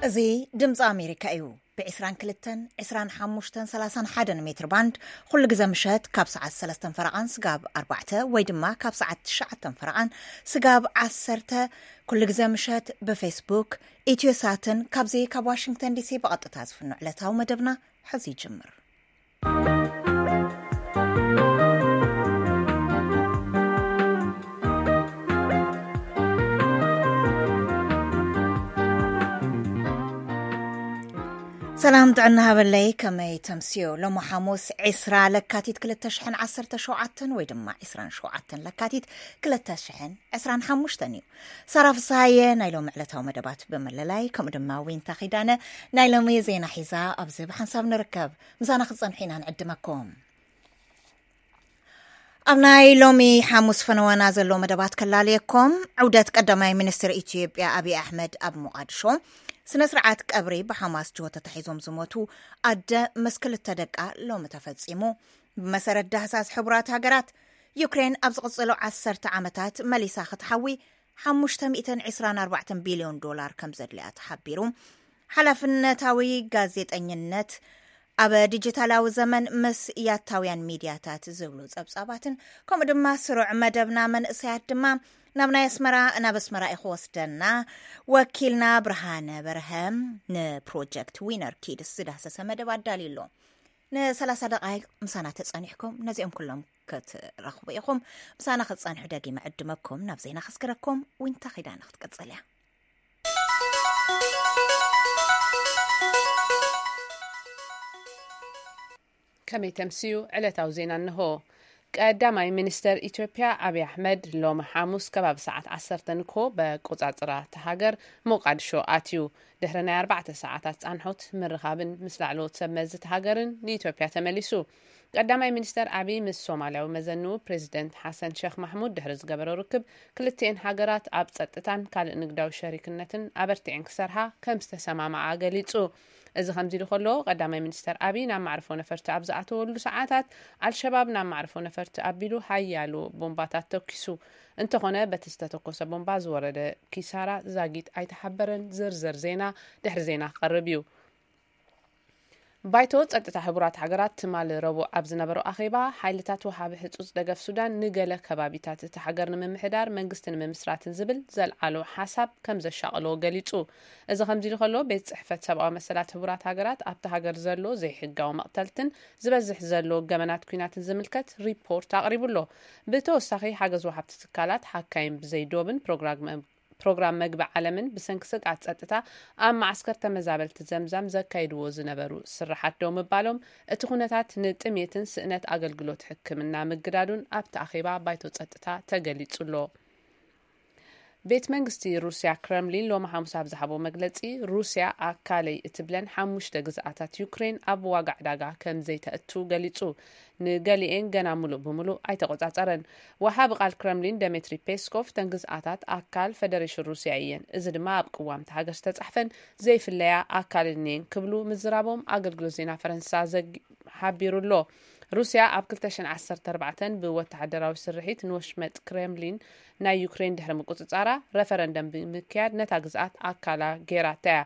እዚ ድምፂ ኣሜሪካ እዩ። ብ22፣ 25፣ 31 ሜትር ባንድ ኩሉ ግዜ ምሸት ካብ ሰዓት ሰለስተን ፈረቓን ስጋብ ኣርባዕተ ወይ ድማ ካብ ሰዓት ትሽዓተን ፈረቓን ስጋብ ዓሰርተ ኩሉ ግዜ ምሸት ብፌስቡክ፣ ኢትዮሳትን ካብዚ ካብ ዋሽንግተን ዲሲ ብቐጥታ ዝፍኖ ዕለታዊ መደብና ሕዚ ይጅምር። ሰላም ጥዕና ሃበለይ፣ ከመይ ተምስዮ? ሎሚ ሓሙስ ዕስራ ለካቲት ክልተ ሽሕን ዓሰርተ ሸውዓተን ወይ ድማ ዕስራን ሸውዓተን ለካቲት ክልተ ሽሕን ዕስራን ሓሙሽተን እዩ። ሳራ ፍስሃየ ናይ ሎሚ ዕለታዊ መደባት ብምልላይ፣ ከምኡ ድማ ዊንታ ኺዳነ ናይ ሎሚ ዜና ሒዛ ኣብዚ ብሓንሳብ ንርከብ። ምሳና ክትጸንሑ ኢና ንዕድመኩም። ኣብ ናይ ሎሚ ሓሙስ ፈነወና ዘሎ መደባት ከላልየኩም። ዑደት ቀዳማይ ሚኒስትር ኢትዮጵያ ኣብይ ኣሕመድ ኣብ ሞቓድሾ፣ ስነ ስርዓት ቀብሪ ብሓማስ ጅሆ ተታሒዞም ዝሞቱ ኣደ ምስ ክልተ ደቃ ሎሚ ተፈጺሙ። ብመሰረት ዳህሳስ ሕቡራት ሃገራት፣ ዩክሬን ኣብ ዝቕጽሎ ዓሰርተ ዓመታት መሊሳ ክትሓዊ ሓሙሽተ ሚእትን ዕስራን ኣርባዕተን ቢልዮን ዶላር ከም ዘድልያ ተሓቢሩ። ሓላፍነታዊ ጋዜጠኝነት ኣብ ዲጂታላዊ ዘመን ምስ ያታውያን ሚድያታት ዝብሉ ጸብጻባትን፣ ከምኡ ድማ ስሩዕ መደብና መንእሰያት ድማ ናብ ናይ ኣስመራ፣ ናብ ኣስመራ እዩ ክወስደና። ወኪልና ብርሃነ በርሀ ንፕሮጀክት ዊነር ኪድስ ዝዳሰሰ መደብ ኣዳልዩ ኣሎ። ን30 ደቓይቕ ምሳና ተጸኒሕኩም ነዚኦም ኩሎም ክትረኽቡ ኢኹም። ምሳና ክትጸንሑ ደጊመ ዕድመኩም ናብ ዜና ከስግረኩም። ዊንታ ኺዳነ ክትቀጽል እያ። ከመይ ተምስዩ? ዕለታዊ ዜና እንሆ። ቀዳማይ ሚኒስተር ኢትዮጵያ ኣብይ ኣሕመድ ሎሚ ሓሙስ ከባቢ ሰዓት ዓሰርተ ንግሆ በቆጻጽራ እታ ሃገር ሞቃድሾ ኣትዩ። ድሕሪ ናይ ኣርባዕተ ሰዓታት ጻንሖት ምርኻብን ምስ ላዕለዎት ሰብ መዚ እታ ሃገርን ንኢትዮጵያ ተመሊሱ። ቀዳማይ ሚኒስተር ኣብይ ምስ ሶማልያዊ መዘንኡ ፕሬዚደንት ሓሰን ሸኽ ማሕሙድ ድሕሪ ዝገበሮ ርክብ፣ ክልቲኤን ሃገራት ኣብ ጸጥታን ካልእ ንግዳዊ ሸሪክነትን ኣበርቲዐን ክሰርሓ ከም ዝተሰማማዓ ገሊጹ። እዚ ከምዚ ኢሉ ከሎ፣ ቀዳማይ ሚኒስተር ኣብይ ናብ ማዕርፎ ነፈርቲ ኣብ ዝኣተወሉ ሰዓታት፣ ኣልሸባብ ናብ ማዕርፎ ነፈርቲ ኣቢሉ ሓያሎ ቦምባታት ተኪሱ። እንተኾነ፣ በቲ ዝተተኮሰ ቦምባ ዝወረደ ኪሳራ ዛጊት ኣይተሓበረን። ዝርዝር ዜና ድሕሪ ዜና ክቐርብ እዩ። ባይቶ ጸጥታ ሕቡራት ሃገራት ትማሊ ረቡዕ ኣብ ዝነበሮ ኣኼባ፣ ሓይልታት ወሃቢ ህጹጽ ደገፍ ሱዳን ንገለ ከባቢታት እቲ ሃገር ንምምሕዳር መንግስቲ ንምምስራትን ዝብል ዘልዓሎ ሓሳብ ከም ዘሻቐሎ ገሊጹ። እዚ ከምዚ ኢሉ ከሎ፣ ቤት ጽሕፈት ሰብኣዊ መሰላት ሕቡራት ሃገራት ኣብቲ ሃገር ዘሎ ዘይሕጋዊ መቕተልትን ዝበዝሕ ዘሎ ገበናት ኲናትን ዝምልከት ሪፖርት ኣቕሪቡ ኣሎ። ብተወሳኺ፣ ሓገዝ ወሃብቲ ትካላት ሓካይም ብዘይዶብን ፕሮግራም ፕሮግራም መግቢ ዓለምን ብሰንኪ ስግኣት ጸጥታ ኣብ መዓስከር ተመዛበልቲ ዘምዛም ዘካይድዎ ዝነበሩ ስራሓት ደው ምባሎም፣ እቲ ኩነታት ንጥሜትን ስእነት ኣገልግሎት ሕክምና ምግዳዱን ኣብቲ ኣኼባ ባይቶ ጸጥታ ተገሊጹ ኣሎ። ቤት መንግስቲ ሩስያ ክረምሊን ሎሚ ሓሙስ ኣብ ዝሃቦ መግለጺ፣ ሩስያ ኣካለይ እትብለን ሓሙሽተ ግዝኣታት ዩክሬን ኣብ ዋጋ ዕዳጋ ከም ዘይተእቱ ገሊጹ። ንገሊኤን ገና ምሉእ ብምሉእ ኣይተቆጻጸረን። ወሃቢ ቃል ክረምሊን ደሜትሪ ፔስኮቭ፣ "እተን ግዝኣታት ኣካል ፈደሬሽን ሩስያ እየን፣ እዚ ድማ ኣብ ቅዋም እታ ሃገር ዝተጻሕፈን ዘይፍለያ ኣካልን እየን" ክብሉ ምዝራቦም ኣገልግሎት ዜና ፈረንሳ ዘግ-፣ ሓቢሩ ኣሎ። ሩስያ ኣብ ክልተ ሽሕን ዓሰርተ ኣርባዕተን ብወተሃደራዊ ስርሒት ንወሽመጥ ክሬምሊን ናይ ዩክሬን ድሕሪ ምቁጽጻራ፣ ረፈረንደም ብምክያድ ነታ ግዝኣት ኣካላ ገይራታ እያ።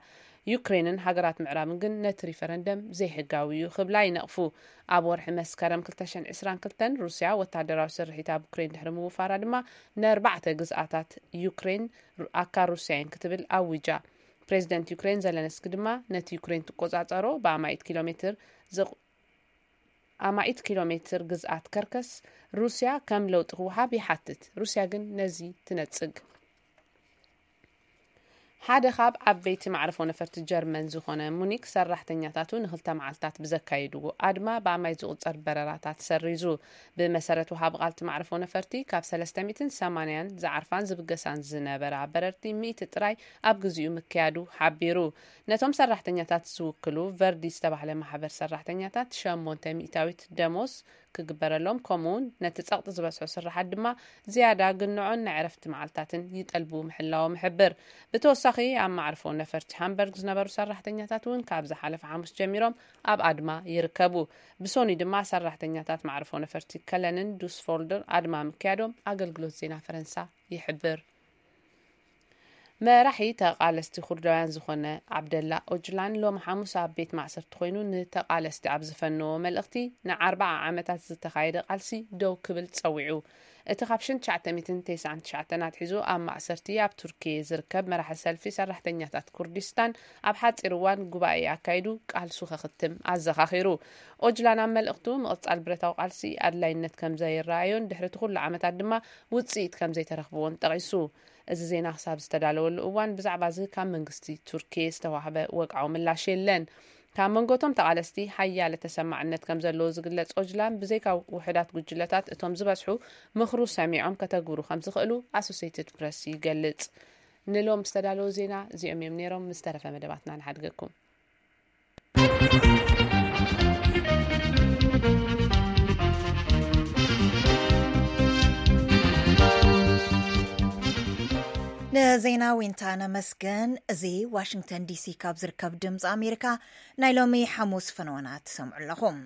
ዩክሬንን ሃገራት ምዕራብን ግን ነቲ ሪፈረንደም ዘይሕጋዊ እዩ ክብላ ይነቕፉ። ኣብ ወርሒ መስከረም ክልተ ሽሕን ዕስራን ክልተን፣ ሩስያ ወተሃደራዊ ስርሒት ኣብ ዩክሬን ድሕሪ ምውፋራ ድማ፣ ንኣርባዕተ ግዝኣታት ዩክሬን ሩ-፣ ኣካል ሩስያ እየን ክትብል ኣዊጃ። ፕሬዚደንት ዩክሬን ዘለንስኪ ድማ፣ ነቲ ዩክሬን ትቆጻጸሮ ብኣማኢት ኪሎ ሜትር ዝቕ-፣ ኣማኢት ኪሎ ሜትር ግዝኣት ከርከስ ሩስያ ከም ለውጢ ክወሃብ ይሓትት። ሩስያ ግን ነዚ ትነጽግ። ሓደ ካብ ዓበይቲ ማዕርፎ ነፈርቲ ጀርመን ዝኾነ ሙኒክ፣ ሰራሕተኛታቱ ንክልተ መዓልታት ብዘካየድዎ ኣድማ ብኣማይ ዝቑጸር በረራታት ሰሪዙ። ብመሰረት ወሃቢ ቃል እቲ ማዕርፎ ነፈርቲ፣ ካብ ሰለስተ ሚእትን ሰማንያን ዝዓርፋን ዝብገሳን ዝነበራ በረርቲ ሚእቲ ጥራይ ኣብ ግዚኡ ምክያዱ ሓቢሩ። ነቶም ሰራሕተኛታት ዝውክሉ ቨርዲ ዝተባህለ ማሕበር ሰራሕተኛታት፣ ሸሞንተ ሚእታዊት ደሞዝ ክግበረሎም፣ ከምኡውን ነቲ ጸቕጢ ዝበዝሖ ስርሓት ድማ ዝያዳ ግንዖን ናይ ዕረፍቲ መዓልታትን ይጠልቡ ምህላዎም ይሕብር። ብተወሳኺ፣ ኣብ ማዕርፎ ነፈርቲ ሃምበርግ ዝነበሩ ሰራሕተኛታት እውን ካብ ዝሓለፈ ሓሙስ ጀሚሮም ኣብ ኣድማ ይርከቡ። ብሶኑይ ድማ ሰራሕተኛታት ማዕርፎ ነፈርቲ ከለንን ዱስፎልድር ኣድማ ምክያዶም ኣገልግሎት ዜና ፈረንሳ ይሕብር። መራሒ ተቓለስቲ ኩርዳውያን ዝኾነ ዓብደላ ኦጅላን ሎም ሓሙስ ኣብ ቤት ማእሰርቲ ኮይኑ ንተቓለስቲ ኣብ ዝፈነዎ መልእኽቲ፣ ንኣርባዓ ዓመታት ዝተኻየደ ቃልሲ ደው ክብል ጸዊዑ። እቲ ካብ ሽን ትሽዓተ ሚእትን ተስዓን ትሽዓተን ኣትሒዙ ኣብ ማእሰርቲ ኣብ ቱርኪ ዝርከብ መራሒ ሰልፊ ሰራሕተኛታት ኩርዲስታን፣ ኣብ ሓጺር እዋን ጉባኤ ኣካይዱ ቃልሱ ከኽትም ኣዘኻኺሩ። ኦጅላን ኣብ መልእኽቱ፣ ምቕጻል ብረታዊ ቃልሲ ኣድላይነት ከም ዘይረኣዮን ድሕሪ እቲ ኩሉ ዓመታት ድማ ውጽኢት ከም ዘይተረኽብዎን ጠቒሱ። እዚ ዜና ክሳብ ዝተዳለወሉ እዋን ብዛዕባ እዚ ካብ መንግስቲ ቱርኪ ዝተዋህበ ወግዓዊ ምላሽ የለን። ካብ መንጎቶም ተቓለስቲ ሓያለ ተሰማዕነት ከም ዘለዎ ዝግለጽ ኦጅላን፣ ብዘይካ ውሑዳት ጉጅለታት እቶም ዝበዝሑ ምኽሩ ሰሚዖም ከተግብሩ ከም ዝኽእሉ ኣሶሴይትድ ፕረስ ይገልጽ። ንሎም ዝተዳለዉ ዜና እዚኦም እዮም ነይሮም። ምስ ተረፈ መደባትና ንሓድገኩም። ንዜና ዊንታ ነመስግን። እዚ ዋሽንግተን ዲሲ ካብ ዝርከብ ድምፂ ኣሜሪካ ናይ ሎሚ ሓሙስ ፈነወና ትሰምዑ ኣለኹም።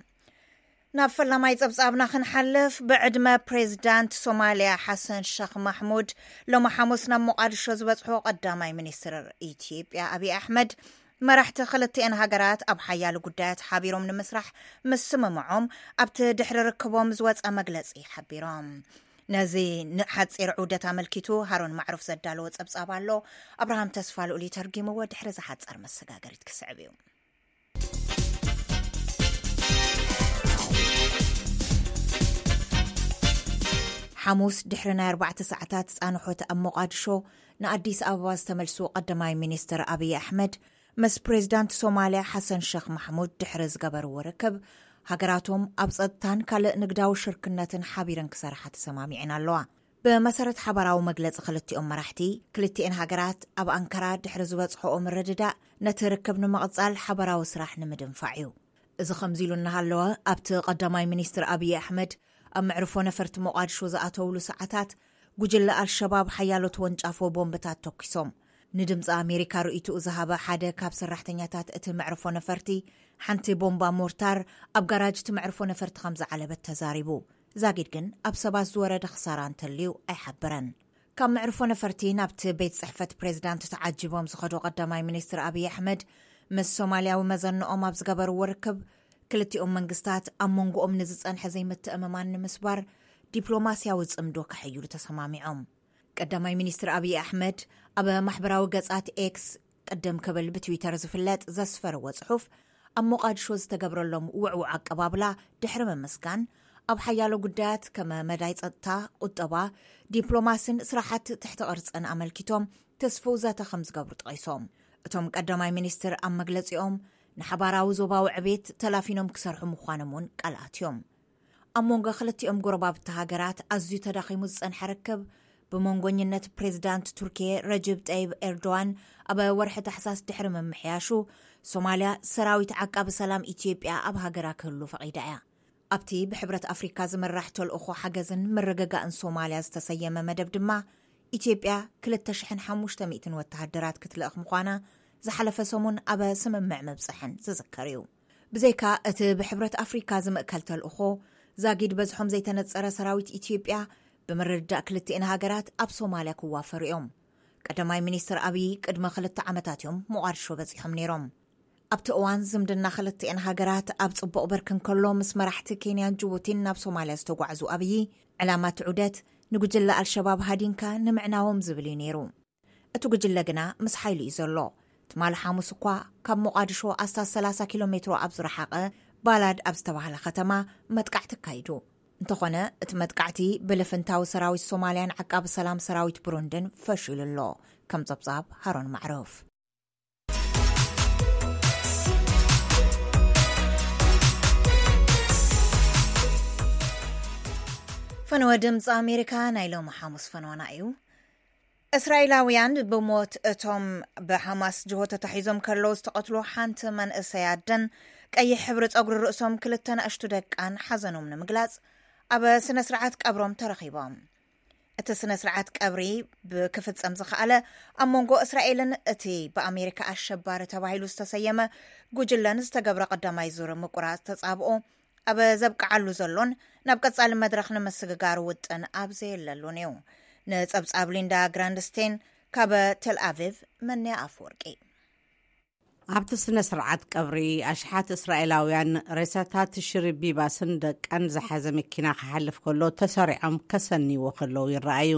ናብ ፈላማይ ጸብጻብና ክንሓልፍ፣ ብዕድመ ፕሬዚዳንት ሶማልያ ሓሰን ሸኽ ማሕሙድ ሎሚ ሓሙስ ናብ ሞቓድሾ ዝበጽሑ ቀዳማይ ሚኒስትር ኢትዮጵያ ኣብይ ኣሕመድ፣ መራሕቲ ክልቲኤን ሃገራት ኣብ ሓያሎ ጉዳያት ሓቢሮም ንምስራሕ ምስምምዖም ኣብቲ ድሕሪ ርክቦም ዝወጸ መግለጺ ሓቢሮም። ነዚ ንሓጺር ዑደት ኣመልኪቱ ሃሮን ማዕሩፍ ዘዳለዎ ጸብጻብ ኣሎ። ኣብርሃም ተስፋ ልኡል ይተርጊምዎ፣ ድሕሪ ዝሓጸር መሰጋገሪት ክስዕብ እዩ። ሓሙስ ድሕሪ ናይ ኣርባዕተ ሰዓታት ጻንሖት ኣብ ሞቓድሾ ንኣዲስ ኣበባ ዝተመልሱ ቀዳማይ ሚኒስትር ኣብይ ኣሕመድ፣ ምስ ፕሬዚዳንት ሶማልያ ሓሰን ሸኽ ማሕሙድ ድሕሪ ዝገበርዎ ርክብ፣ ሃገራቶም ኣብ ጸጥታን ካልእ ንግዳዊ ሽርክነትን ሓቢረን ክሰርሓ ተሰማሚዐን ኣለዋ። ብመሰረት ሓባራዊ መግለጺ ክልቲኦም መራሕቲ፣ ክልቲኤን ሃገራት ኣብ ኣንካራ ድሕሪ ዝበጽሖኦ ምርድዳእ፣ ነቲ ርክብ ንምቕጻል ሓባራዊ ስራሕ ንምድንፋዕ እዩ። እዚ ከምዚ ኢሉ እናሃለወ፣ ኣብቲ ቀዳማይ ሚኒስትር ኣብይ ኣሕመድ ኣብ መዕርፎ ነፈርቲ ሞቓድሾ ዝኣተውሉ ሰዓታት፣ ጉጅለ ኣልሸባብ ሓያሎ ተወንጫፎ ቦምብታት ተኲሶም። ንድምፂ ኣሜሪካ ርእይትኡ ዝሃበ ሓደ ካብ ሰራሕተኛታት እቲ መዕርፎ ነፈርቲ፣ ሓንቲ ቦምባ ሞርታር ኣብ ጋራጅ እቲ መዕርፎ ነፈርቲ ከም ዝዓለበት ተዛሪቡ። ዛጊድ ግን ኣብ ሰባት ዝወረደ ክሳራ እንተልዩ ኣይሓበረን። ካብ መዕርፎ ነፈርቲ ናብቲ ቤት ጽሕፈት ፕሬዚዳንት ተዓጂቦም ዝኸዱ ቀዳማይ ሚኒስትር ኣብይ ኣሕመድ፣ ምስ ሶማልያዊ መዘንኦም ኣብ ዝገበርዎ ርክብ፣ ክልቲኦም መንግስታት ኣብ መንጎኦም ንዝጸንሐ ዘይምትእምማን ንምስባር ዲፕሎማስያዊ ጽምዶ ከሐይሉ ተሰማሚዖም። ቀዳማይ ሚኒስትር ኣብይ ኣሕመድ ኣብ ማሕበራዊ ገጻት ኤክስ፣ ቅድም ክብል ብትዊተር ዝፍለጥ፣ ዘስፈርዎ ጽሑፍ፣ ኣብ ሞቓድሾ ዝተገብረሎም ውዕዉዕ ኣቀባብላ ድሕሪ ምምስጋን፣ ኣብ ሓያሎ ጉዳያት ከም መዳይ ጸጥታ፣ ቁጠባ፣ ዲፕሎማስን ስራሓት ትሕቲ ቅርጽን ኣመልኪቶም ተስፍው ዘተ ከም ዝገብሩ ጠቒሶም። እቶም ቀዳማይ ሚኒስትር ኣብ መግለጺኦም፣ ንሓባራዊ ዞባዊ ዕቤት ተላፊኖም ክሰርሑ ምዃኖም እውን ቃል ኣትዮም። ኣብ መንጎ ክልቲኦም ጎረባብቲ ሃገራት ኣዝዩ ተዳኺሙ ዝጸንሐ ርክብ፣ ብመንጎኝነት ፕሬዚዳንት ቱርኪየ ረጅብ ጠይብ ኤርዶዋን ኣብ ወርሒ ታሕሳስ ድሕሪ ምምሕያሹ፣ ሶማልያ ሰራዊት ዓቃቢ ሰላም ኢትዮጵያ ኣብ ሃገራ ክህሉ ፈቒዳ እያ። ኣብቲ ብሕብረት ኣፍሪካ ዝምራሕ ተልእኾ ሓገዝን ምርግጋእን ሶማልያ ዝተሰየመ መደብ ድማ፣ ኢትዮጵያ ክልተ ሽሕን ሓሙሽተ ሚእትን ወተሃደራት ክትልእኽ ምዃና ዝሓለፈ ሰሙን ኣብ ስምምዕ ምብጽሐን ዝዝከር እዩ። ብዘይካ እቲ ብሕብረት ኣፍሪካ ዝምእከል ተልእኾ፣ ዛጊድ በዝሖም ዘይተነጸረ ሰራዊት ኢትዮጵያ ብምርድዳእ ክልቲኤን ሃገራት ኣብ ሶማልያ ክዋፈሩ እዮም። ቀዳማይ ሚኒስትር ኣብይ ቅድሚ ክልተ ዓመታት እዮም ሞቓድሾ በጺሖም ነይሮም። ኣብቲ እዋን ዝምድና ክልቲኤን ሃገራት ኣብ ጽቡቕ ብርኪ እንከሎ፣ ምስ መራሕቲ ኬንያን ጅቡቲን ናብ ሶማልያ ዝተጓዕዙ ኣብይ፣ ዕላማ እቲ ዑደት ንጉጅለ ኣልሸባብ ሃዲንካ ንምዕናዎም ዝብል እዩ ነይሩ። እቲ ጉጅለ ግና ምስ ሓይሉ እዩ ዘሎ። ትማሊ ሓሙስ እኳ ካብ ሞቓድሾ ኣስታት ሰላሳ ኪሎ ሜትሮ ኣብ ዝረሓቐ ባላድ ኣብ ዝተባህለ ከተማ መጥቃዕቲ ኣካይዱ። እንተኾነ፣ እቲ መጥቃዕቲ ብልፍንታዊ ሰራዊት ሶማልያን ዓቃቢ ሰላም ሰራዊት ብሩንድን ፈሺሉ ኣሎ። ከም ጸብጻብ ሃሮን ማዕረፍ። ፈነወ ድምፂ ኣሜሪካ ናይ ሎሚ ሓሙስ ፈነወና እዩ። እስራኤላውያን ብሞት እቶም ብሓማስ ጅሆ ተታሒዞም ከለዉ ዝተቐትሉ ሓንቲ መንእሰይ ኣደን ቀይሕ ሕብሪ ጸጉሪ ርእሶም ክልተ ንኣሽቱ ደቃን ሓዘኖም ንምግላጽ ኣብ ስነ ስርዓት ቀብሮም ተረኺቦም። እቲ ስነ ስርዓት ቀብሪ ብክፍጸም ዝኸኣለ ኣብ መንጎ እስራኤልን እቲ ብኣሜሪካ ኣሸባሪ ተባሂሉ ዝተሰየመ ጉጅለን ዝተገብረ ቀዳማይ ዙር ምቁራጽ ተጻብኦ ኣብ ዘብቅዓሉ ዘሎን ናብ ቀጻሊ መድረኽ ንምስግጋር ውጥን ኣብ ዘየለሉን እዩ። ንጸብጻብ ሊንዳ ግራንድስቴን ካብ ቴል ኣቪቭ፣ መነያ ኣፈወርቂ። ኣብቲ ስነ ስርዓት ቀብሪ፣ ኣሽሓት እስራኤላውያን ሬሳታት ሽሪ ቢባስን ደቀን ዝሓዘ መኪና ክሓልፍ ከሎ ተሰሪዖም ከሰንይዎ ከለዉ ይረኣዩ።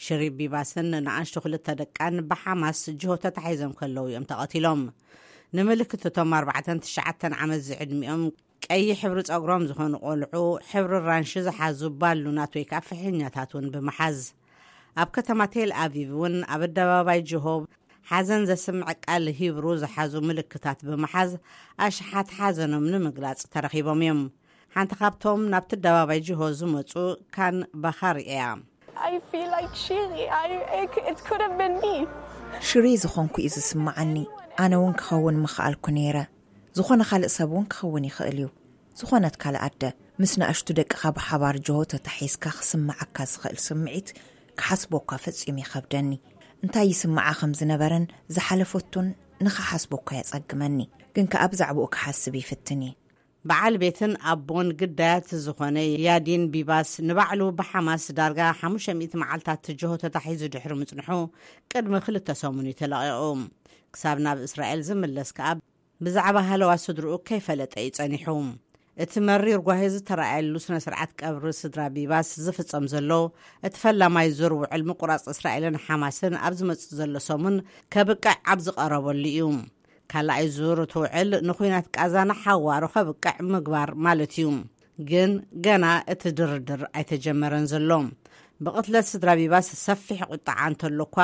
ሽሪ ቢባስን ንኣሽቱ ክልተ ደቃን ብሓማስ ጅሆ ተታሒዞም ከለዉ እዮም ተቐቲሎም። ንምልክት እቶም ኣርባዕተን ትሽዓተን ዓመት ዝዕድሚኦም ቀይሕ ሕብሪ ጸጉሮም ዝኾኑ ቆልዑ፣ ሕብሪ ራንሺ ዝሓዙ ባሉናት ወይ ከዓ ፍሕኛታት እውን ብምሓዝ፣ ኣብ ከተማ ቴል ኣቪቭ እውን ኣብ ኣደባባይ ጅሆ ሓዘን ዘስምዕ ቃል ሂብሩ ዝሓዙ ምልክታት ብምሓዝ፣ ኣሽሓት ሓዘኖም ንምግላጽ ተረኺቦም እዮም። ሓንቲ ካብቶም ናብቲ ኣደባባይ ጅሆ ዝመጹ ካን ባኻር እያ። I feel like Shiri. I, it, it could have been me. ሽሪ ዝኾንኩ እዩ ዝስምዓኒ። ኣነ እውን ክኸውን ምኽኣልኩ ነይረ። ዝኾነ ካልእ ሰብ እውን ክኸውን ይኽእል እዩ። ዝኾነት ካልእ ኣደ፣ ምስ ንኣሽቱ ደቅኻ ብሓባር ጅሆ ተታሒዝካ ክስምዓካ ዝኽእል ስምዒት ክሓስቦ እኳ ፈጺሙ ይኸብደኒ። እንታይ ይስምዓ ከም ዝነበረን ዝሓለፈቱን ንኽሓስቦ እኳ የጸግመኒ። ግን ከኣ ብዛዕባኡ ክሓስብ ይፍትን እየ። በዓል ቤትን ኣቦን ግዳያት ዝኾነ ያዲን ቢባስ፣ ንባዕሉ ብሓማስ ዳርጋ ሓሙሽተ ሚእቲ መዓልታት ጅሆ ተታሒዙ ድሕሪ ምጽንሑ፣ ቅድሚ ክልተ ሰሙን እዩ ተለቒቑ። ክሳብ ናብ እስራኤል ዝምለስ ከኣ ብዛዕባ ሃለዋ ስድርኡ ከይፈለጠ እዩ ጸኒሑ። እቲ መሪር ጓሂ ዝተረኣየሉ ስነ ስርዓት ቀብሪ ስድራ ቢባስ ዝፍጸም ዘሎ፣ እቲ ፈላማይ ዙር ውዕል ምቁራጽ እስራኤልን ሓማስን ኣብ ዝመጽእ ዘሎ ሰሙን ከብቅዕ ኣብ ዝቐረበሉ እዩ። ካልኣይ ዙር እቲ ውዕል ንኹናት ቃዛ ንሓዋሩ ከብቅዕ ምግባር ማለት እዩ። ግን ገና እቲ ድርድር ኣይተጀመረን ዘሎ። ብቕትለት ስድራ ቢባስ ሰፊሕ ቁጥዓ እንተሎ እኳ፣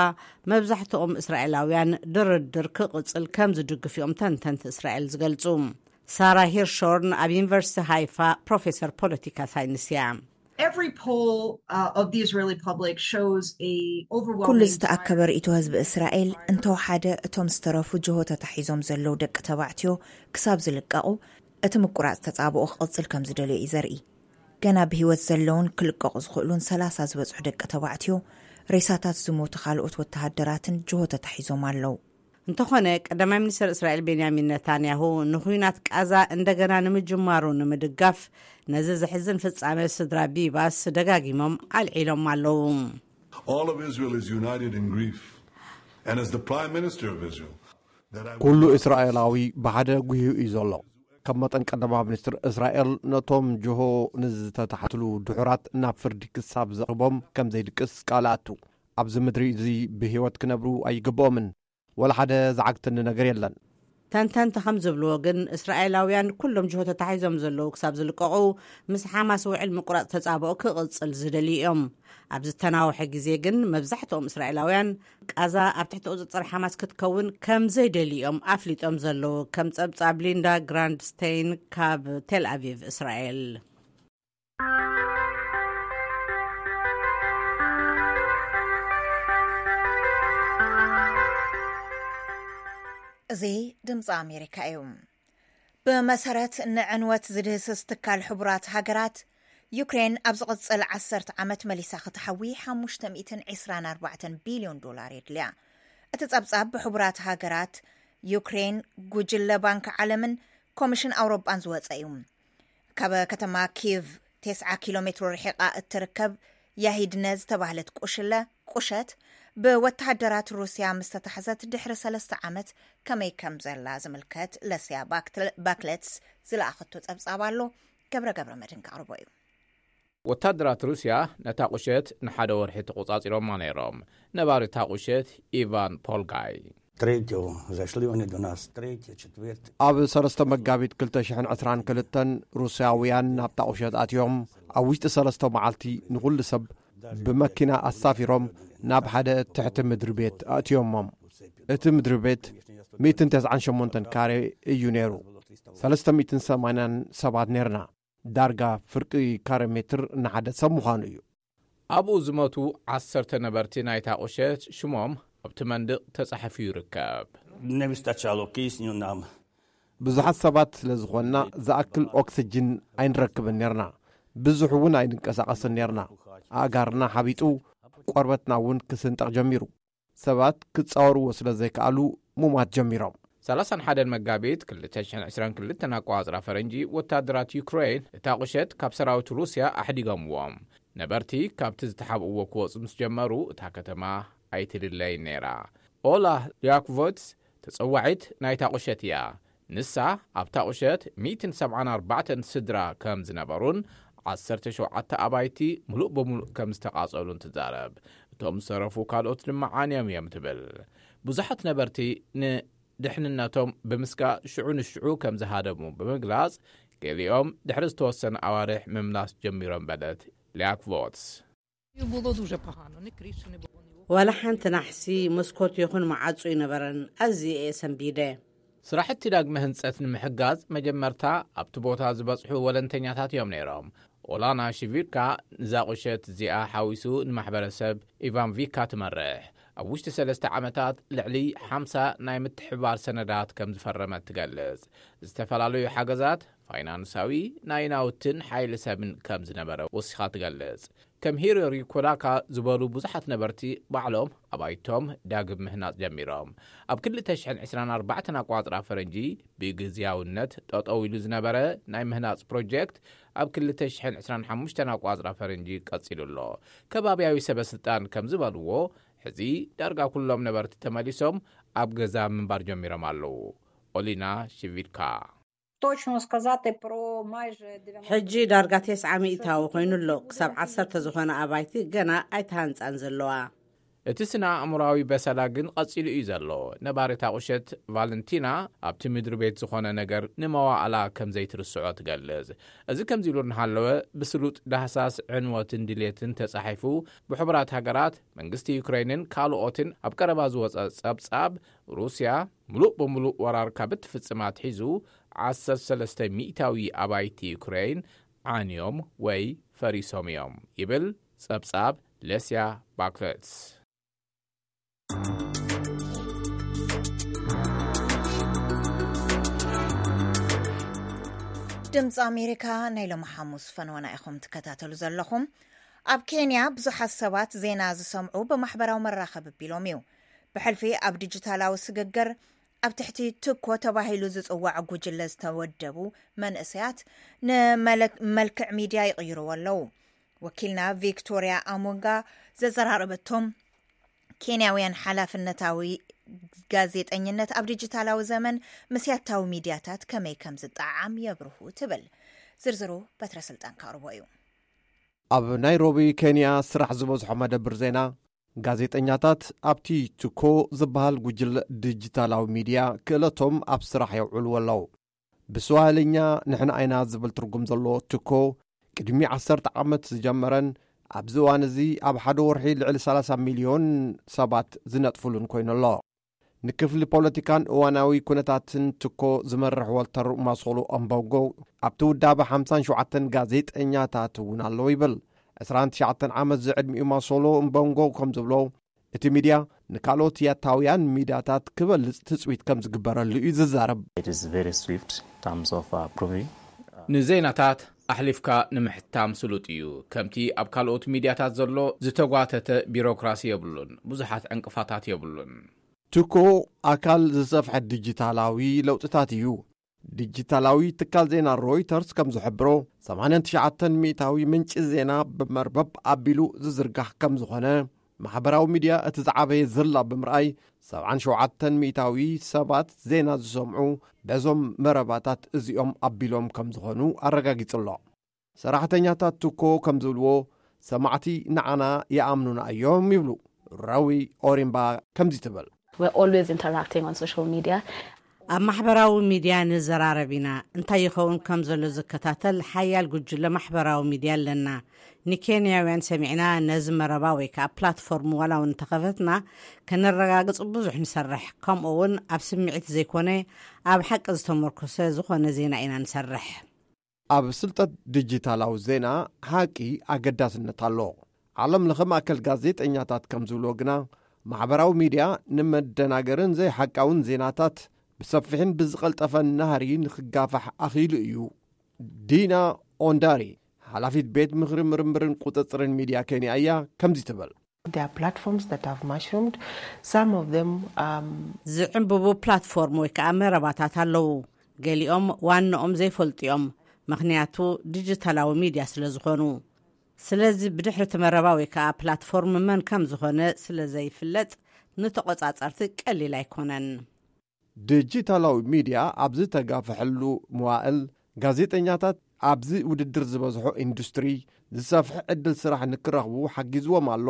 መብዛሕትኦም እስራኤላውያን ድርድር ክቕጽል ከም ዝድግፉ እዮም ተንተንቲ እስራኤል ዝገልጹ። ሳራ ሂርሾርን ኣብ ዩኒቨርሲቲ ሃይፋ ፕሮፌሰር ፖለቲካ ሳይንስ እያ። Every poll uh, of the Israeli public shows a ኩሉ overwhelming ዝተኣከበ ርእይቶ ህዝቢ እስራኤል እንተወሓደ እቶም ዝተረፉ ጅሆ ተታሒዞም ዘለዉ ደቂ ተባዕትዮ ክሳብ ዝልቀቑ እቲ ምቁራጽ ተጻብኦ ክቕጽል ከም ዝደልዮ እዩ ዘርኢ። ገና ብህይወት ዘለውን ክልቀቑ ዝኽእሉን ሰላሳ ዝበጽሑ ደቂ ተባዕትዮ፣ ሬሳታት ዝሞቱ ካልኦት ወተሃደራትን ጅሆ ተታሒዞም ኣለዉ። እንተኾነ ቀዳማይ ሚኒስተር እስራኤል ቤንያሚን ነታንያሁ ንኹናት ቃዛ እንደገና ንምጅማሩ ንምድጋፍ ነዚ ዘሕዝን ፍጻሜ ስድራ ቢባስ ደጋጊሞም ኣልዒሎም ኣለዉ። All of Israel is united in grief. And as the Prime Minister of Israel, that I ኩሉ እስራኤላዊ ብሓደ ጉሂዩ እዩ ዘሎ። ከም መጠን ቀዳማዊ ሚኒስትር እስራኤል ነቶም ጅሆ ንዝተታሕትሉ ድሑራት ናብ ፍርዲ ክሳብ ዘቕርቦም ከም ዘይድቅስ ቃል ኣቱ። ኣብዚ ምድሪ እዚ ብህይወት ክነብሩ ኣይግብኦምን። ወላ ሓደ ዝዓግተኒ ነገር የለን። ተንተንቲ ከም ዝብልዎ ግን እስራኤላውያን ኩሎም ጅሆ ተታሒዞም ዘለዉ ክሳብ ዝልቀቑ ምስ ሓማስ ውዕል ምቁራጽ ተጻብኦ ክቕጽል ዝደልዩ እዮም። ኣብ ዝተናውሐ ግዜ ግን መብዛሕትኦም እስራኤላውያን ቃዛ ኣብ ትሕቲ ቁጽጽር ሓማስ ክትከውን ከም ዘይደልዩ እዮም ኣፍሊጦም ዘለዉ። ከም ጸብጻብ ሊንዳ ግራንድስቴይን ካብ ቴል ኣቪቭ እስራኤል። እዚ ድምፂ ኣሜሪካ እዩ። ብመሰረት ንዕንወት ዝድህስስ ትካል ሕቡራት ሃገራት፣ ዩክሬን ኣብ ዝቕጽል ዓሰርተ ዓመት መሊሳ ክትሓዊ ሓሙሽተ ሚእትን ዕስራን ኣርባዕተን ቢልዮን ዶላር የድልያ። እቲ ጸብጻብ ብሕቡራት ሃገራት፣ ዩክሬን፣ ጉጅለ ባንክ ዓለምን ኮሚሽን ኣውሮጳን ዝወጸ እዩ። ካብ ከተማ ኪቭ ተስዓ ኪሎ ሜትሮ ርሒቓ እትርከብ ያሂድነ ዝተባህለት ቁሽለ፣ ቁሸት፣ ብወተሃደራት ሩስያ ምስ ተታሕዘት ድሕሪ ሰለስተ ዓመት ከመይ ከም ዘላ ዝምልከት ለስያ ባክትል-፣ ባክለትስ ዝለኣኸቶ ጸብጻብ ኣሎ። ገብረ ገብረ መድህን ከቕርቦ እዩ። ወታደራት ሩስያ ነታ ቁሸት ንሓደ ወርሒ ተቖጻጺሮማ ነይሮም። ነባሪ እታ ቁሸት ኢቫን ፖልጋይ። Третьего зашли они до нас, третье, четвертое. ኣብ ሰለስተ መጋቢት ክልተ ሽሕን ዕስራን ክልተን ሩስያውያን ናብታ ቁሸት ኣትዮም። ኣብ ውሽጢ ሰለስተ መዓልቲ ንኹሉ ሰብ ብመኪና ኣሳፊሮም ናብ ሓደ ትሕቲ ምድሪ ቤት ኣእትዮሞም። እቲ ምድሪ ቤት ሚእትን ተስዓን ሸሞንተን ካሬ እዩ ነይሩ። ሰለስተ ሚእትን ሰማንያን ሰባት ነይርና። ዳርጋ ፍርቂ ካሬ ሜትር ንሓደ ሰብ ምዃኑ እዩ። ኣብኡ ዝሞቱ ዓሰርተ ነበርቲ ናይታ ቁሸት ሽሞም ኣብቲ መንድቕ ተጻሒፉ ይርከብ። Не вистачало кисню нам. ብዙሓት ሰባት ስለ ዝኾንና ዝኣክል ኦክስጅን ኣይንረክብን ነርና። ብዙሕ እውን ኣይንንቀሳቐስን ነርና። ኣእጋርና ሓቢጡ፣ ቆርበትና እውን ክስንጠቕ ጀሚሩ። ሰባት ክጻወርዎ ስለ ዘይከኣሉ ሙማት ጀሚሮም። ሰላሳን ሓደን መጋቢት ክልተ ሽሕን ዕስራን ክልተን ኣቆጻጽራ ፈረንጂ፣ ወታደራት ዩክሬን እታ ቁሸት ካብ ሰራዊት ሩስያ ኣሕዲጎምዎም። ነበርቲ ካብቲ ዝተሓብእዎ ክወጹ ምስ ጀመሩ፣ እታ ከተማ ኣይትድለይን ነይራ። ኦላ ሊያክቮትስ ተጸዋዒት ናይታ ቁሸት እያ። ንሳ ኣብታ ቁሸት ሚእትን ሰብዓን ኣርባዕተን ስድራ ከም ዝነበሩን ዓሰርተ ሸውዓተ ኣባይቲ ምሉእ ብምሉእ ከም ዝተቓጸሉን ትዛረብ። እቶም ዝተረፉ ካልኦት ድማ ዓንዮም እዮም ትብል። ብዙሓት ነበርቲ ንድሕንነቶም ብምስጋእ ሽዑ ንሽዑ ከም ዝሃደሙ ብምግላጽ፣ ገሊኦም ድሕሪ ዝተወሰነ ኣዋርሕ ምምላስ ጀሚሮም በለት ሊያክቮትስ። Було дуже погано, ні криші не було, ні ወላ ሓንቲ ናሕሲ መስኮት ይኹን መዓጹ ይነበረን። ኣዝየ እየ ሰንቢደ። ስራሕቲ ዳግመ ህንጸት ንምሕጋዝ መጀመርታ ኣብቲ ቦታ ዝበጽሑ ወለንተኛታት እዮም ነይሮም። ኦላና ሽቪርካ ንዛ ቁሸት እዚኣ ሓዊሱ ንማሕበረሰብ ኢቫንቪካ ትመርሕ። ኣብ ውሽጢ ሰለስተ ዓመታት ልዕሊ ሓምሳ ናይ ምትሕብባር ሰነዳት ከም ዝፈረመት ትገልጽ። ዝተፈላለዩ ሓገዛት ፋይናንሳዊ፣ ናይ ናውትን ሓይሊ ሰብን ከም ዝነበረ ወሲኻ ትገልጽ። ከም ሂሮሪ ኮዳካ ዝበሉ ብዙሓት ነበርቲ ባዕሎም ኣባይቶም ዳግም ምህናጽ ጀሚሮም። ኣብ ክልተ ሽሕን ዕስራን ኣርባዕተን ኣቋጽራ ፈረንጂ ብግዝያውነት ጠጠው ኢሉ ዝነበረ ናይ ምህናጽ ፕሮጀክት ኣብ ክልተ ሽሕን ዕስራን ሓሙሽተን ኣቋጽራ ፈረንጂ ቀጺሉ ኣሎ። ከባብያዊ ሰበ ስልጣን ከም ዝበልዎ፣ ሕዚ ዳርጋ ኩሎም ነበርቲ ተመሊሶም ኣብ ገዛ ምንባር ጀሚሮም ኣለዉ። ኦሊና ሽቪድካ። Точно сказати про майже дев'яносто. ሕጂ ዳርጋ ተስዓ ሚእታዊ ኮይኑ ኣሎ። ክሳብ ዓሰርተ ዝኾነ ኣባይቲ ገና ኣይተሃንጻን ዘለዋ። እቲ ስነ ኣእምሮኣዊ በሰላ ግን ቀጺሉ እዩ ዘሎ። ነባሪት ኣቑሸት ቫለንቲና ኣብቲ ምድሪ ቤት ዝኾነ ነገር ንመዋእላ ከም ዘይትርስዖ ትገልጽ። እዚ ከምዚ ኢሉ እናሃለወ፣ ብስሉጥ ዳህሳስ ዕንወትን ድሌትን ተጻሒፉ፣ ብሕቡራት ሃገራት፣ መንግስቲ ዩክሬንን ካልኦትን ኣብ ቀረባ ዝወጸ ጸብጻብ፣ ሩስያ ምሉእ ብምሉእ ወራር ካብ እትፍጽም ኣትሒዙ፣ ዓሰርተ ሰለስተ ሚእታዊ ኣባይቲ ዩክሬን ዓንዮም ወይ ፈሪሶም እዮም ይብል ጸብጻብ ለስያ ባክለትስ። ድምፂ ኣሜሪካ ናይ ሎሚ ሓሙስ ፈነወና ኢኹም ትከታተሉ ዘለኹም። ኣብ ኬንያ ብዙሓት ሰባት ዜና ዝሰምዑ ብማሕበራዊ መራኸቢ ኣቢሎም እዩ። ብሕልፊ ኣብ ዲጂታላዊ ስግግር ኣብ ትሕቲ ትኮ ተባሂሉ ዝጽዋዕ ጉጅለ ዝተወደቡ መንእሰያት ንመልክዕ ሚድያ ይቕይርዎ ኣለዉ። ወኪልና ቪክቶርያ ኣሞንጋ ዘዘራረበቶም ኬንያውያን ሓላፍነታዊ ጋዜጠኝነት ኣብ ዲጂታላዊ ዘመን ምስ ያታዊ ሚድያታት ከመይ ከም ዝጠዓም የብርሁ ትብል። ዝርዝሩ በትረ ስልጣን ካቕርቦ እዩ። ኣብ ናይሮቢ ኬንያ ስራሕ ዝበዝሖ መደብር ዜና ጋዜጠኛታት ኣብቲ ትኮ ዝበሃል ጉጅለ ዲጂታላዊ ሚድያ ክእለቶም ኣብ ስራሕ የውዕልዎ ኣለዉ። ብስዋሂልኛ ንሕና ኣይና ዝብል ትርጉም ዘለዎ ትኮ ቅድሚ ዓሰርተ ዓመት ዝጀመረን ኣብዚ እዋን እዚ ኣብ ሓደ ወርሒ ልዕሊ ሰላሳ ሚልዮን ሰባት ዝነጥፍሉን ኮይኑ ኣሎ። ንክፍሊ ፖለቲካን እዋናዊ ኩነታትን ትኮ ዝመርሕ ወልተር ማሶሎ ኣምቦንጎ ኣብቲ ውዳበ ሓምሳን ሸውዓተን ጋዜጠኛታት እውን ኣለዉ ይብል። ዕስራን ትሽዓተን ዓመት ዝዕድሚኡ ማሶሎ እምቦንጎ ከም ዝብሎ እቲ ሚድያ ንካልኦት ያታውያን ሚድያታት ክበልጽ ትጽቢት ከም ዝግበረሉ እዩ ዝዛረብ። It is very swift in terms of approving. ንዜናታት ኣሕሊፍካ ንምሕታም ስሉጥ እዩ። ከምቲ ኣብ ካልኦት ሚድያታት ዘሎ ዝተጓተተ ቢሮክራሲ የብሉን። ብዙሓት ዕንቅፋታት የብሉን። ትኮ ኣካል ዝሰፍሐ ዲጂታላዊ ለውጥታት እዩ። ዲጂታላዊ ትካል ዜና ሮይተርስ ከም ዝሕብሮ ሰማንያን ትሽዓተን ሚእታዊ ምንጪ ዜና ብመርበብ ኣቢሉ ዝዝርጋሕ ከም ዝኾነ፣ ማሕበራዊ ሚድያ እቲ ዝዓበየ ዘላ ብምርኣይ ሰብዓን ሸውዓተን ሚእታዊ ሰባት ዜና ዝሰምዑ በዞም መረባታት እዚኦም ኣቢሎም ከም ዝኾኑ ኣረጋጊጹ ኣሎ። ሰራሕተኛታት ትኮ ከም ዝብልዎ ሰማዕቲ ንዓና ይኣምኑና እዮም ይብሉ ረዊ ኦሪምባ። ከምዚ ትብል። We're always interacting on social media. ኣብ ማሕበራዊ ሚድያ ንዘራረብ ኢና። እንታይ ይኸውን ከም ዘሎ ዝከታተል ሓያል ጉጅለ ማሕበራዊ ሚድያ ኣለና። ንኬንያውያን ሰሚዕና ነዚ መረባ ወይ ከዓ ፕላትፎርም ዋላ እውን እንተኸፈትና ከነረጋግጽ ብዙሕ ንሰርሕ። ከምኡ እውን ኣብ ስምዒት ዘይኮነ ኣብ ሓቂ ዝተመርኮሰ ዝኾነ ዜና ኢና ንሰርሕ። ኣብ ስልጠት ዲጂታላዊ ዜና ሓቂ ኣገዳስነት ኣሎ። ዓለም ለኸ ማእከል ጋዜጠኛታት ከም ዝብልዎ ግና ማሕበራዊ ሚድያ ንመደናገርን ዘይሓቃውን ዜናታት ብሰፊሕን ብዝቐልጠፈን ናህሪ ንክጋፋሕ ኣኽኢሉ እዩ። ዲና ኦንዳሪ ሓላፊት ቤት ምኽሪ ምርምርን ቁፅፅርን ሚድያ ኬንያ እያ። ከምዚ ትብል። There are platforms that have mushroomed. Some of them um, ዝዕንብቡ ፕላትፎርም ወይ ከዓ መረባታት ኣለዉ። ገሊኦም ዋንኦም ዘይፈልጡ እዮም፣ ምኽንያቱ ዲጂታላዊ ሚድያ ስለ ዝኾኑ። ስለዚ ብድሕሪ እቲ መረባ ወይ ከዓ ፕላትፎርም መን ከም ዝኾነ ስለ ዘይፍለጥ፣ ንተቖጻጸርቲ ቀሊል ኣይኮነን። ዲጂታላዊ ሚድያ ኣብ ዝተጋፍሐሉ መዋእል፣ ጋዜጠኛታት ኣብዚ ውድድር ዝበዝሖ ኢንዱስትሪ ዝሰፍሐ ዕድል ስራሕ ንክረኽቡ ሓጊዝዎም ኣሎ።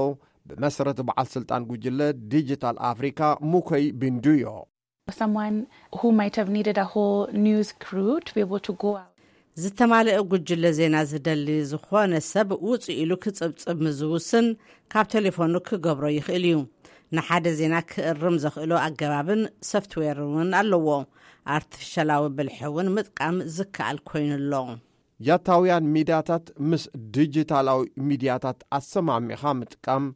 ብመሰረት በዓል ስልጣን ጉጅለ ዲጂታል ኣፍሪካ፣ ሙኮይ ቢንዱዮ። Someone who might have needed a whole news crew to be able to go out. ዝተማልአ ጉጅለ ዜና ዝደሊ ዝኾነ ሰብ ውፅእ ኢሉ ክፅብፅብ ምዝውስን ካብ ቴሌፎኑ ክገብሮ ይኽእል እዩ። ንሓደ ዜና ክእርም ዘኽእሎ ኣገባብን ሶፍትዌር እውን ኣለዎ። ኣርቲፊሻላዊ ብልሒ እውን ምጥቃም ዝከኣል ኮይኑ ኣሎ። ያታውያን ሚድያታት ምስ ዲጂታላዊ ሚድያታት ኣሰማሚኻ ምጥቃም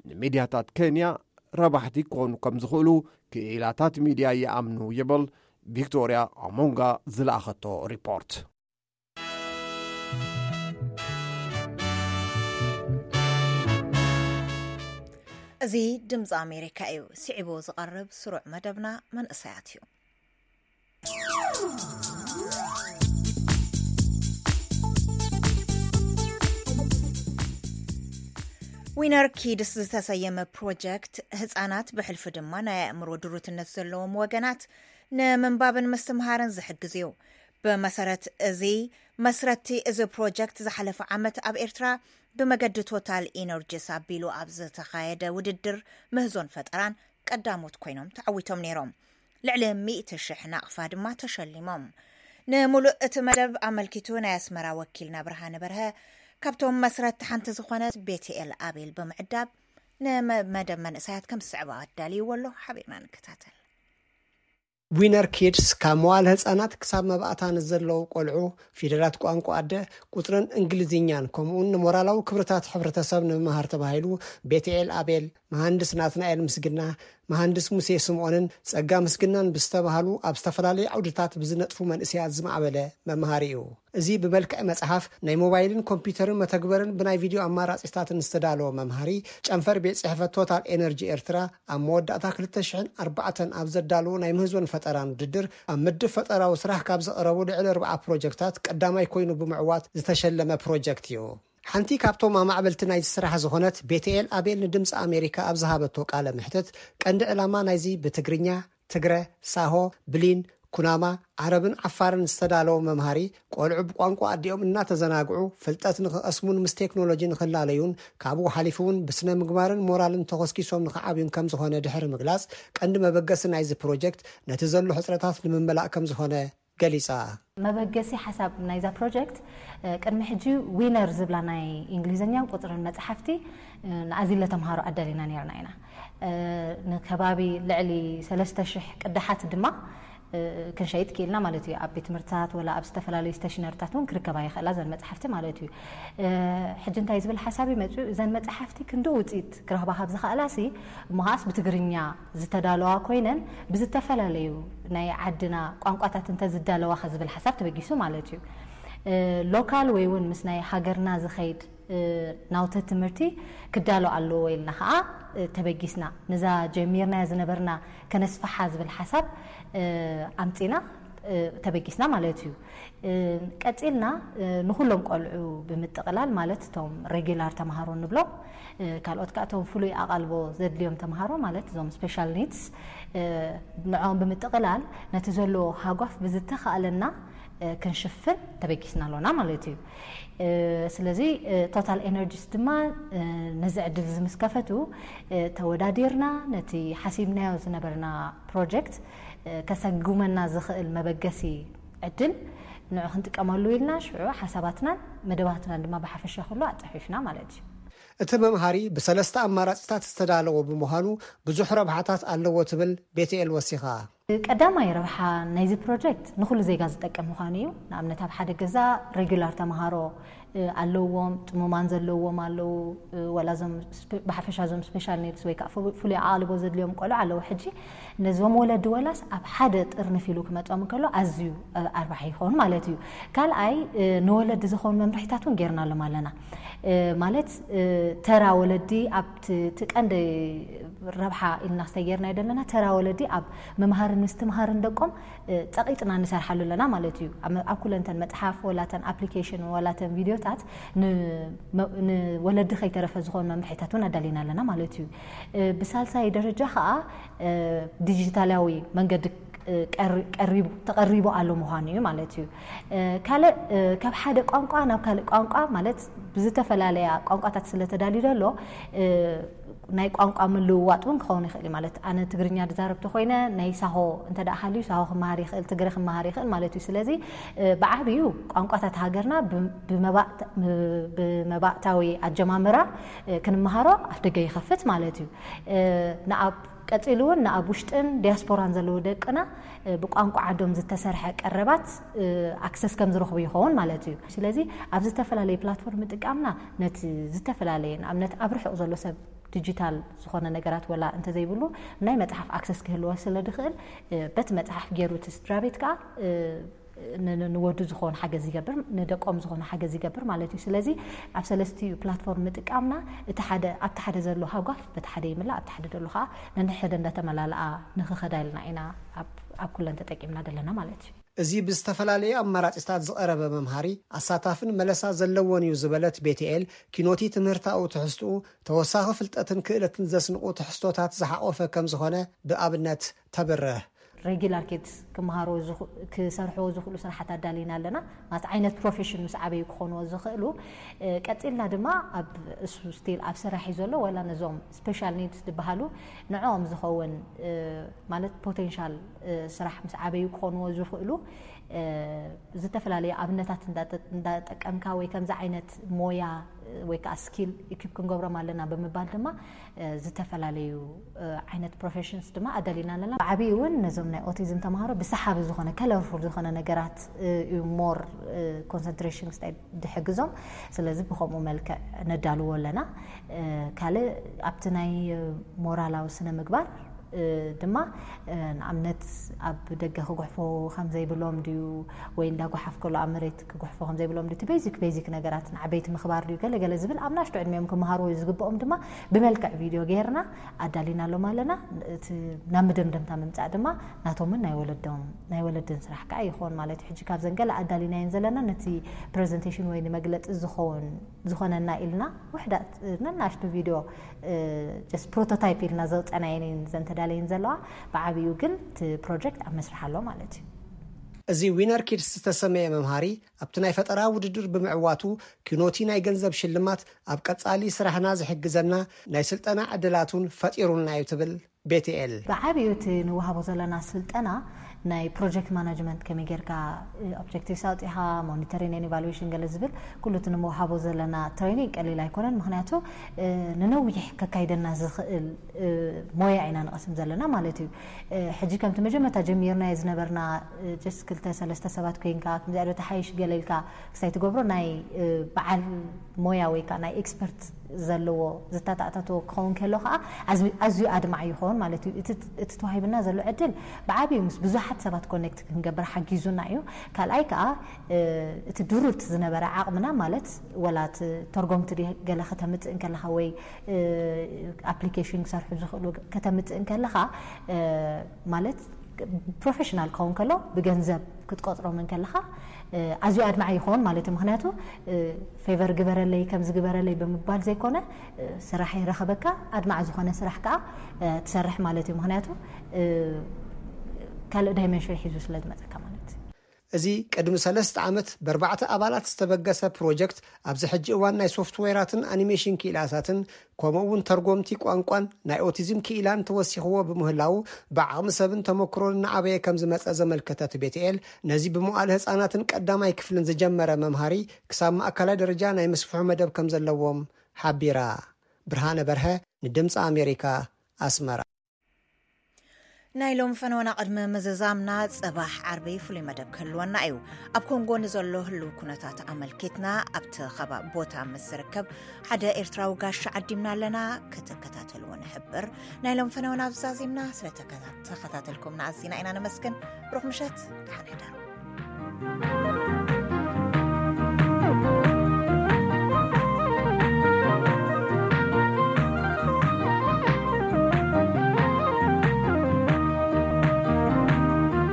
ንሚድያታት ኬንያ ረባሕቲ ክኾኑ ከም ዝኽእሉ ክኢላታት ሚድያ ይኣምኑ ይብል ቪክቶርያ ኣሞንጋ ዝለኣኸቶ ሪፖርት። እዚ ድምፂ ኣሜሪካ እዩ። ስዒቡ ዝቐርብ ስሩዕ መደብና መንእሰያት እዩ። ዊነር ኪድስ ዝተሰየመ ፕሮጀክት፣ ህፃናት ብሕልፊ ድማ ናይ ኣእምሮ ድሩትነት ዘለዎም ወገናት ንምንባብን ምስትምሃርን ዝሕግዝ እዩ። ብመሰረት እዚ፣ መስረቲ እዚ ፕሮጀክት ዝሓለፈ ዓመት ኣብ ኤርትራ ብመገዲ ቶታል ኢነርጂስ ኣቢሉ ኣብ ዝተኻየደ ውድድር ምህዞን ፈጠራን ቀዳሞት ኮይኖም ተዓዊቶም ነይሮም። ልዕሊ ሚእቲ ሽሕ ናቕፋ ድማ ተሸሊሞም። ንምሉእ እቲ መደብ ኣመልኪቱ ናይ ኣስመራ ወኪልና ብርሃነ በርሀ ካብቶም መስረቲ ሓንቲ ዝኾነት ቤትኤል ኣቤል ብምዕዳብ ንመደብ መንእሰያት ከም ዝስዕባ ኣዳልይዎ ኣሎ። ሓቢርና ንከታተል። ዊነር ኪድስ ካብ መዋል ህፃናት ክሳብ መባእታ ንዘለዉ ቆልዑ ፊደላት ቋንቋ ኣደ፣ ቁፅርን እንግሊዝኛን ከምኡውን ንሞራላዊ ክብርታት ሕብረተሰብ ንምምሃር ተባሂሉ ቤትኤል ኣቤል፣ መሃንድስ ናትናኤል ምስግና፣ መሃንድስ ሙሴ ስምኦንን ጸጋ ምስግናን ብዝተባህሉ ኣብ ዝተፈላለዩ ዓውድታት ብዝነጥፉ መንእሰያት ዝማዕበለ መምሃሪ እዩ። እዚ ብመልክዕ መጽሓፍ፣ ናይ ሞባይልን ኮምፒውተርን መተግበርን ብናይ ቪድዮ ኣማራጺታትን ዝተዳለወ መምሃሪ፣ ጨንፈር ቤት ጽሕፈት ቶታል ኤነርጂ ኤርትራ ኣብ መወዳእታ ክልተ ሽሕን ኣርባዕተን ኣብ ዘዳለዎ ናይ ምህዞን ፈጠራን ውድድር፣ ኣብ ምድብ ፈጠራዊ ስራሕ ካብ ዝቐረቡ ልዕሊ ኣርብዓ ፕሮጀክታት ቀዳማይ ኮይኑ ብምዕዋት ዝተሸለመ ፕሮጀክት እዩ። ሓንቲ ካብቶም ኣማዕበልቲ ናይዚ ስራሕ ዝኾነት ቤትኤል ኣቤል ንድምፂ ኣሜሪካ ኣብ ዝሃበቶ ቃለ መሕትት፣ ቀንዲ ዕላማ ናይዚ ብትግርኛ፣ ትግረ፣ ሳሆ፣ ብሊን፣ ኩናማ፣ ዓረብን ዓፋርን ዝተዳለወ መምሃሪ፣ ቆልዑ ብቋንቋ ኣዲኦም እናተዘናግዑ ፍልጠት ንኽቐስሙን ምስ ቴክኖሎጂ ንኽላለዩን፣ ካብኡ ሓሊፉ እውን ብስነ ምግባርን ሞራልን ተኾስኪሶም ንኽዓብዩን ከም ዝኾነ ድሕሪ ምግላፅ፣ ቀንዲ መበገሲ ናይዚ ፕሮጀክት ነቲ ዘሎ ሕፅረታት ንምምላእ ከም ዝኾነ ገሊፃ። መበገሲ ሓሳብ ናይዛ ፕሮጀክት፣ እ፣ ቅድሚ ሕጂ ዊነር ዝብላ ናይ እንግሊዝኛን ቁፅርን መፅሓፍቲ፣ እ፣ ንኣዚለ ተምሃሮ ኣዳሊና ነይርና ኢና። እ፣ ንከባቢ ልዕሊ ሰለስተ ሽሕ ቅዳሓት ድማ፣ እ፣ ክንሸይጥ ክኢልና ማለት እዩ። ኣብ ቤት ትምህርትታት ወላ ኣብ ዝተፈላለዩ ስቴሽነሪታት እውን ክርከባ ይኽእላ እዘን መፅሓፍቲ ማለት እዩ። እ፣ ሕጂ እንታይ ዝብል ሓሳብ እዩ መፅኡ? እዘን መፅሓፍቲ ክንዲ ውፅኢት ክረኽባ ካብ ዝኽእላሲ፣ እሞ ከዓስ ብትግርኛ ዝተዳለዋ ኮይነን ብዝተፈላለዩ ናይ ዓድና ቋንቋታት እንተ ዝዳለዋ ከ ዝብል ሓሳብ ተበጊሱ ማለት እዩ። እ፣ ሎካል ወይ እውን ምስ ናይ ሃገርና ዝኸይድ፣ እ፣ ናውቲ ትምህርቲ ክዳሎ ኣለዎ ኢልና ከዓ፣ እ፣ ተበጊስና። ነዛ ጀሚርናያ ዝነበርና ከነስፍሓ ዝብል ሓሳብ፣ እ፣ ኣምፂና፣ እ፣ ተበጊስና ማለት እዩ። እ፣ ቀፂልና፣ እ፣ ንኩሎም ቆልዑ ብምጥቕላል ማለት እቶም ሬጊላር ተምሃሮ ንብሎም፣ እ፣ ካልኦት ከዓ እቶም ፍሉይ ኣቓልቦ ዘድልዮም ተምሃሮ ማለት እዞም ስፔሻል ኒድስ፣ እ፣ ንዕኦም ብምጥቕላል ነቲ ዘለዎ ሃጓፍ ብዝተኻእለና፣ እ፣ ክንሽፍን ተበጊስና ኣሎና ማለት እዩ። እ፣ ስለዚ፣ እ፣ ቶታል ኤነርጂስ ድማ፣ እ፣ ነዚ ዕድል እዚ ምስ ከፈቱ፣ እ፣ ተወዳዲርና ነቲ ሓሲብናዮ ዝነበርና ፕሮጀክት፣ እ፣ ከሰጉመና ዝኽእል መበገሲ ዕድል ንዑ ክንጥቀመሉ ኢልና ሽዑ ሓሳባትናን መደባትናን ድማ ብሓፈሻ ኩሉ ኣጻፊፍና ማለት እዩ። እቲ መምሃሪ ብሰለስተ ኣማራጺታት ዝተዳለወ ብምዃኑ ብዙሕ ረብሓታት ኣለዎ ትብል ቤትኤል ወሲኻ። ቀዳማይ ረብሓ ናይዚ ፕሮጀክት ንኹሉ ዜጋ ዝጠቅም ምዃኑ እዩ። ንኣብነት ኣብ ሓደ ገዛ ሬጉላር ተምሃሮ፣ እ፣ ኣለውዎም፣ ጥሙማን ዘለውዎም ኣለዉ፣ እ፣ ወላ እዞም ስፔ-፣ ብሓፈሻ እዞም ስፔሻል ኒድስ ወይ ከዓ ፍሉ-፣ ፍሉይ ኣቓልቦ ዘድልዮም ቆልዑ ኣለዉ። ሕጂ ነዞም ወለዲ ወላስ ኣብ ሓደ ጥርንፍ ኢሉ ክመጾም እንከሎ ኣዝዩ፣ እ፣ ኣርባሒ ይኸውን ማለት እዩ። ካልኣይ፣ እ፣ ንወለዲ ዝኾኑ መምርሒታት እውን ጌርናሎም ኣለና። እ፣ ማለት፣ እ፣ ተራ ወለዲ ኣብቲ፣ እቲ ቀንዲ ረብሓ ኢልና ዝተጌርናዮ ዘለና ተራ ወለዲ ኣብ ምምሃርን ምስ ትምሃርን ደቆም ጸቂጥና ንሰርሓሉ ኣለና ማለት እዩ። ኣብ ኩለንተን መፅሓፍ ወላተን ኣፕሊኬሽን ወላተን ቪድዮታት ንወለዲ ከይተረፈ ዝኾኑ መምርሒታት እውን ኣዳሊና ኣለና ማለት እዩ። ብሳልሳይ ደረጃ ከዓ ዲጂታላዊ መንገዲ ተቐሪቡ ኣሎ ምዃኑ እዩ ማለት እዩ። ካልእ ካብ ሓደ ቋንቋ ናብ ካልእ ቋንቋ ማለት ብዝተፈላለያ ቋንቋታት ስለተዳልዩ ዘሎ ናይ ቋንቋ ምልውዋጥ እውን ክኸውን ይኽእል እዩ። ማለት ኣነ ትግርኛ ዝዛረብ ተኮይነ ናይ ሳሆ እንተ ደኣ ሃልዩ ሳሆ ክመሃር ይኽእል፣ ትግረ ክመሃር ይኽእል ማለት እዩ። ስለዚ ብዓብዩ ቋንቋታት ሃገርና ብመባእታዊ ኣጀማምራ ክንመሃሮ ኣፍ ደገ ይኸፍት ማለት እዩ። ንኣብ ቀፂሉ እውን ንኣብ ውሽጥን ዲያስፖራን ዘለዉ ደቅና ብቋንቋ ዓዶም ዝተሰርሐ ቀረባት ኣክሰስ ከም ዝረኽቡ ይኸውን ማለት እዩ። ስለዚ ኣብ ዝተፈላለዩ ፕላትፎርም ምጥቃምና ነቲ ዝተፈላለየ ንኣብነት ኣብ ርሑቕ ዘሎ ሰብ ዲጂታል ዝኾነ ነገራት ወላ እንተዘይብሉ ናይ መፅሓፍ ኣክሰስ ክህልዎ ስለ ድኽእል በቲ መፅሓፍ ገይሩ እቲ ስድራ ቤት ከዓ ንወዱ ዝኾን ሓገዝ ይገብር፣ ንደቆም ዝኾነ ሓገዝ ይገብር ማለት እዩ። ስለዚ ኣብ ሰለስቲኡ ፕላትፎርም ምጥቃምና እቲ ሓደ ኣብቲ ሓደ ዘሎ ሃጓፍ በቲ ሓደ ይምላእ፣ ኣብቲ ሓደ ዘሎ ከዓ ነንሕደ እንዳተመላለኣ ንኽኸዳ ኢልና ኢና ኣብ ኩለን ተጠቂምና ዘለና ማለት እዩ። እዚ ብዝተፈላለየ ኣማራጺታት ዝቐረበ መምሃሪ ኣሳታፍን መለሳ ዘለዎን እዩ ዝበለት ቤትኤል፣ ኪኖቲ ትምህርታዊ ትሕዝትኡ ተወሳኺ ፍልጠትን ክእለትን ዘስንቑ ትሕዝቶታት ዝሓቖፈ ከም ዝኾነ ብኣብነት ተብርህ። ሬጊላር ኬድስ ክመሃርዎ ክሰርሕዎ ዝኽእሉ ስራሓት ኣዳሊና ኣለና። ማለት ዓይነት ፕሮፌሽን ምስ ዓበዩ ክኾንዎ ዝኽእሉ ቀፂልና ድማ ኣብ እሱ ስቲል ኣብ ስራሕ እዩ ዘሎ ወላ ነዞም ስፔሻል ኒድስ ዝበሃሉ ንዕኦም ዝኸውን ማለት ፖቴንሻል ስራሕ ምስ ዓበዩ ክኾንዎ ዝኽእሉ ዝተፈላለዩ ኣብነታት እንዳጠቀምካ ወይ ከምዚ ዓይነት ሞያ ወይ ከዓ ስኪል ኢኪፕ ክንገብሮም ኣለና ብምባል ድማ ዝተፈላለዩ ዓይነት ፕሮፌሽንስ ድማ ኣዳሊና ኣለና። ብዓብዩ እውን ነዞም ናይ ኦቲዝም ተምሃሮ ብሰሓቢ ዝኾነ ከለርፉል ዝኾነ ነገራት እዩ ሞር ኮንሰንትሬሽን ክስታይ ድሕግዞም። ስለዚ ብከምኡ መልክዕ ነዳልዎ ኣለና። ካልእ ኣብቲ ናይ ሞራላዊ ስነ ምግባር ድማ ንኣብነት ኣብ ደገ ክጉሕፎ ከም ዘይብሎም ድዩ ወይ እንዳጓሓፍ ከሎ ኣብ መሬት ክጉሕፎ ከም ዘይብሎም ድዩ እቲ ቤዚክ ቤዚክ ነገራት ንዓበይቲ ምኽባር ድዩ ገለ ገለ ዝብል ኣብ ናሽቶ ዕድሚኦም ክመሃርዎ እዩ ዝግብኦም ድማ ብመልክዕ ቪድዮ ገይርና ኣዳሊናሎም ኣለና። እቲ ናብ መደምደምታ ምምፃእ ድማ ናቶምን ናይ ወለዶም ናይ ወለድን ስራሕ ከዓ ይኸውን ማለት እዩ። ሕጂ ካብዘን ገለ ኣዳሊናየን ዘለና ነቲ ፕሬዘንቴሽን ወይ ንመግለፂ ዝኸውን ዝኾነና ኢልና ውሕዳት ነናሽቱ ቪድዮ ጀስት ፕሮቶታይፕ ኢልና ዘውፀናየን ዘንተዳለይን ዘለዋ ብዓብዩ ግን እቲ ፕሮጀክት ኣብ መስርሕ ኣሎ ማለት እዩ። እዚ ዊነር ኪድስ ዝተሰመየ መምሃሪ ኣብቲ ናይ ፈጠራ ውድድር ብምዕዋቱ ኪኖቲ ናይ ገንዘብ ሽልማት ኣብ ቀጻሊ ስራሕና ዝሕግዘና ናይ ስልጠና ዕድላት እውን ፈጢሩልና እዩ ትብል ቤትኤል። ብዓብዩ እቲ ንወሃቦ ዘለና ስልጠና ናይ ፕሮጀክት ማናጅመንት ከመይ ጌርካ ኦብጀክቲቭስ ኣውፂኻ ሞኒተሪንግ ን ኢቫሉዌሽን ገለ ዝብል ኩሉ እቲ ንምውሃቦ ዘለና ትሬኒንግ ቀሊል ኣይኮነን። ምክንያቱ ንነዊሕ ከካይደና ዝኽእል ሞያ ኢና ንቐስም ዘለና ማለት እዩ። ሕጂ ከምቲ መጀመርታ ጀሚርናዮ ዝነበርና ጀስት ክልተ ሰለስተ ሰባት ኮይንካ ከምዚኣ ዶ ተሓይሽ ገለ ኢልካ ክሳይ ትገብሮ ናይ በዓል ሞያ ወይ ከዓ ናይ ኤክስፐርት ዘለዎ ዝተኣታተዎ ክኸውን ከሎ ከዓ ኣዝዩ ኣድማዕ ይኸውን ማለት እዩ። እቲ ተዋሂብና ዘሎ ዕድል ብዓብዩ ምስ ብዙሓት ሰባት ኮኔክት ክንገብር ሓጊዙና እዩ። ካልኣይ ከዓ እቲ ድሩት ዝነበረ ዓቕምና ማለት ወላ እቲ ተርጎምቲ ገለ ከተምፅእ እንከለካ ወይ ኣፕሊኬሽን ክሰርሑ ዝኽእሉ ከተምፅእ እንከለካ ማለት ፕሮፌሽናል ክኸውን ከሎ ብገንዘብ ክትቆፅሮም እንከለካ ኣዝዩ ኣድማዒ ይኸውን ማለት እዩ። ምክንያቱ ፌቨር ግበረለይ ከምዚ ግበረለይ ብምባል ዘይኮነ ስራሕ ይረኸበካ ኣድማዕ ዝኾነ ስራሕ ከዓ ትሰርሕ ማለት እዩ። ምክንያቱ ካልእ ዳይመንሽን ሒዙ ስለ ዝመፀካ ማለት እዩ። እዚ ቅድሚ ሰለስተ ዓመት ብኣርባዕተ ኣባላት ዝተበገሰ ፕሮጀክት ኣብዚ ሕጂ እዋን ናይ ሶፍትዌራትን ኣኒሜሽን ክኢላታትን ከምኡ እውን ተርጎምቲ ቋንቋን ናይ ኦቲዝም ክኢላን ተወሲኽዎ ብምህላዉ ብዓቕሚ ሰብን ተመክሮን እናዓበየ ከም ዝመፀ ዘመልከተት ቤትኤል ነዚ ብመዋእለ ህፃናትን ቀዳማይ ክፍልን ዝጀመረ መምሃሪ ክሳብ ማእከላይ ደረጃ ናይ ምስፍሑ መደብ ከም ዘለዎም ሓቢራ። ብርሃነ በርሀ ንድምፂ ኣሜሪካ ኣስመራ። ናይ ሎም ፈነወና ቅድሚ ምዝዛምና ጽባሕ ዓርቢ ፍሉይ መደብ ክህልወና እዩ። ኣብ ኮንጎ ንዘሎ ህልው ኩነታት ኣመልኪትና ኣብቲ ከባቢ ቦታ ምስ ዝርከብ ሓደ ኤርትራዊ ጋሻ ዓዲምና ኣለና ክትከታተልዎ ንሕብር። ናይ ሎም ፈነወና ኣብዚ ዛዚምና ስለ ተከታተልኩምና ኣዚና ኢና ነመስግን። ብሩኽ ምሸት፣ ደሓን ሕደሩ።